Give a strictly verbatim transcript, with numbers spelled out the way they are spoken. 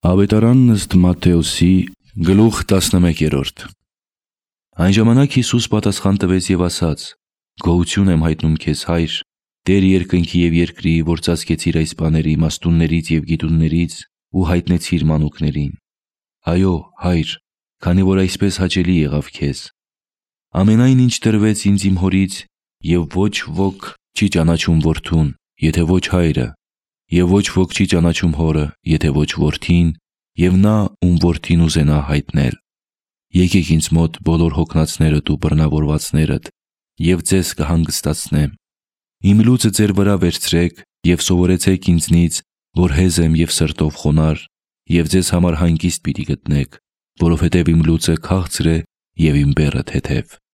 Ավետարանն ըստ Մատթեոսի գլուխ տասնմեկերորդ։ Այն ժամանակ Հիսուս պատասխան տվեց և ասաց. «Գոհություն եմ հայտնում քեզ, Հայր, Տեր երկնքի և երկրի, որ ծածկեցիր այս բաները իմաստուններից և գիտուններից ու հայտնեցիր մանուկներին։ Այո, Հայր, քանի որ այսպես հաճելի եղավ քեզ։ Ամենայն ինչ տրվեց ինձ իմ Հորից, և ոչ ոք չի ճանաչում Որդուն, եթե ոչ Հայրը, և ոչ ոք չի ճանաչում Հորը, եթե ոչ Որդին, և նա, ում Որդին ուզենա հայտնել։ Եկեք ինձ մոտ բոլոր հոգնածներդ ու բռնավորվածներդ, և ձեզ կհանգստացնեմ։ Իմ լուծը ձեր վրա վերցրեք և սովորեցեք ինձնից, որ հեզ եմ և սրտով խոնարհ, և ձեզ համար հանգիստ պիտի գտնեք, որովհետև իմ լուծը քաղցր է և իմ բեռը թեթև»։